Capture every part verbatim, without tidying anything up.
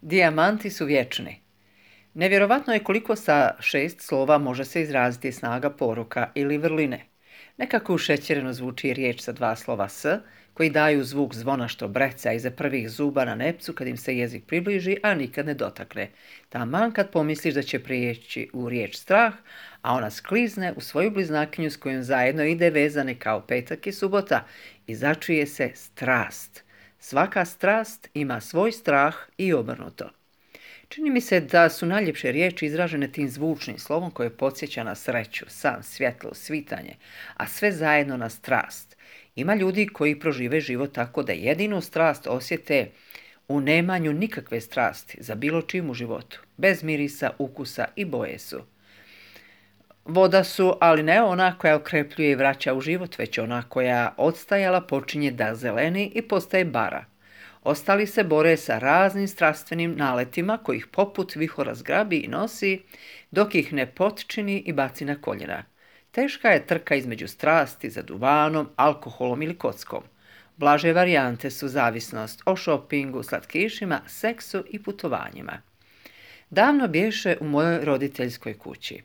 Dijamanti su vječni. Nevjerovatno je koliko sa šest slova može se izraziti snaga poruka ili vrline. Nekako ušećereno zvuči riječ sa dva slova s, koji daju zvuk zvona što breca iza prvih zuba na nepcu kad im se jezik približi, a nikad ne dotakne. Taman kad pomisliš da će prijeći u riječ strah, a ona sklizne u svoju bliznakinju s kojom zajedno ide vezane kao petak i subota i začuje se strast. Svaka strast ima svoj strah i obrnuto. Čini mi se da su najljepše riječi izražene tim zvučnim slovom koje podsjeća na sreću, san, svjetlo, svitanje, a sve zajedno na strast. Ima ljudi koji prožive život tako da jedinu strast osjete u nemanju nikakve strasti za bilo čim u životu, bez mirisa, ukusa i boje su. Voda su, ali ne ona koja okrepljuje i vraća u život, već ona koja odstajala počinje da zeleni i postaje bara. Ostali se bore sa raznim strastvenim naletima kojih poput vihora zgrabi i nosi, dok ih ne potčini i baci na koljena. Teška je trka između strasti za duvanom, alkoholom ili kockom. Blaže varijante su zavisnost o šopingu, slatkišima, seksu i putovanjima. Davno bješe u mojoj roditeljskoj kući.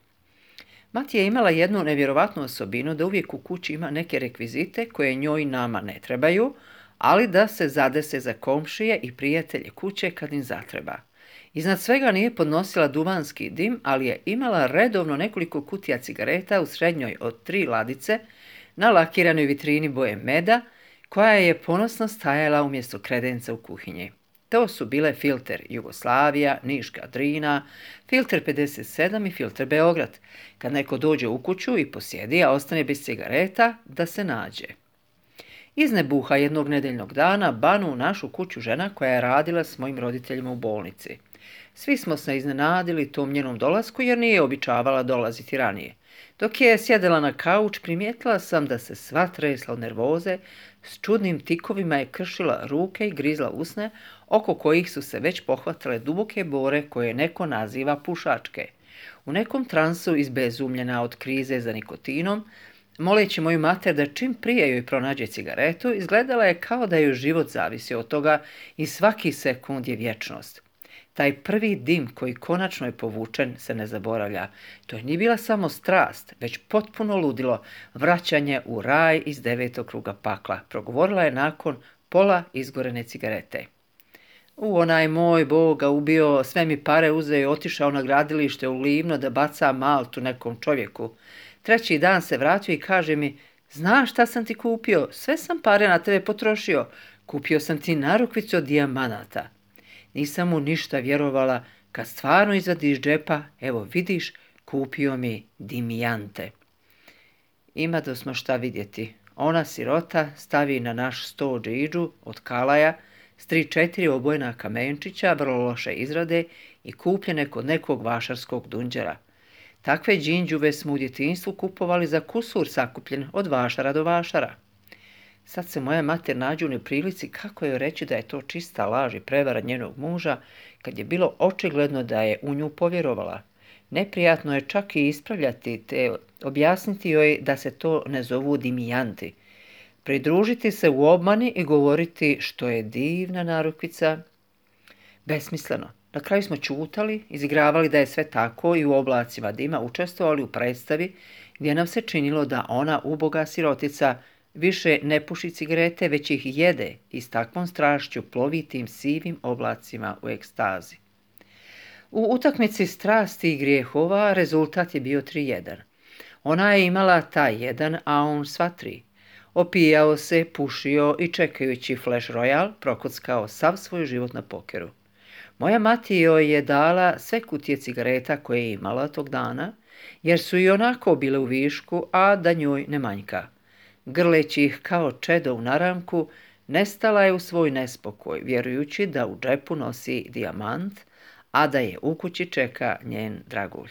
Mati je imala jednu nevjerovatnu osobinu da uvijek u kući ima neke rekvizite koje njoj i nama ne trebaju, ali da se zadese za komšije i prijatelje kuće kad im zatreba. Iznad svega nije podnosila duvanski dim, ali je imala redovno nekoliko kutija cigareta u srednjoj od tri ladice na lakiranoj vitrini boje meda, koja je ponosno stajala umjesto kredenca u kuhinji. To su bile filter Jugoslavija, Niška Drina, filter pedeset sedam i filter Beograd. Kad neko dođe u kuću i posjedi, a ostane bez cigareta, da se nađe. Iz nebuha jednog nedeljnog dana banu u našu kuću žena koja je radila s mojim roditeljima u bolnici. Svi smo se iznenadili tom njenom dolasku jer nije običavala dolaziti ranije. Dok je sjedela na kauč, primijetila sam da se sva tresla od nervoze, s čudnim tikovima je kršila ruke i grizla usne, oko kojih su se već pohvatale duboke bore koje neko naziva pušačke. U nekom transu izbezumljena od krize za nikotinom, moleći moju mater da čim prije joj pronađe cigaretu, izgledala je kao da joj život zavisi od toga i svaki sekund je vječnost. Taj prvi dim koji konačno je povučen se ne zaboravlja. To nije bila samo strast, već potpuno ludilo, vraćanje u raj iz devetog kruga pakla, progovorila je nakon pola izgorene cigarete. U, onaj moj Boga ubio, sve mi pare uzeo i otišao na gradilište u Livno da baca maltu nekom čovjeku. Treći dan se vratio i kaže mi, znaš šta sam ti kupio, sve sam pare na tebe potrošio, kupio sam ti narukvicu od dijamanata. Nisam mu ništa vjerovala, kad stvarno izvadi iz džepa, evo vidiš, kupio mi dimijante. Ima da smo šta vidjeti. Ona sirota stavi na naš sto džidžu od kalaja s tri četiri obojena kamenčića, vrlo loše izrade i kupljene kod nekog vašarskog dunđera. Takve džinđuve smo u djetinjstvu kupovali za kusur sakupljen od vašara do vašara. Sad se moja mater nađe u neprilici kako joj reći da je to čista laž i prevara njenog muža, kad je bilo očigledno da je u nju povjerovala. Neprijatno je čak i ispravljati te objasniti joj da se to ne zovu dimijanti. Pridružiti se u obmani i govoriti što je divna narukvica. Besmisleno. Na kraju smo čutali, izigravali da je sve tako i u oblacima dima učestvovali u predstavi gdje nam se činilo da ona uboga sirotica više ne puši cigarete, već ih jede i s takvom strašću plovi tim sivim oblacima u ekstazi. U utakmici strasti i grijehova rezultat je bio tri jedan. Ona je imala taj jedan, a on sva tri. Opijao se, pušio i čekajući Flash Royale prokockao sav svoj život na pokeru. Moja mati joj je dala sve kutije cigareta koje je imala tog dana, jer su i onako bile u višku, a da njoj ne manjka. Grleći ih kao čedo u naramku, nestala je u svoj nespokoj, vjerujući da u džepu nosi dijamant, a da je u kući čeka njen dragulj.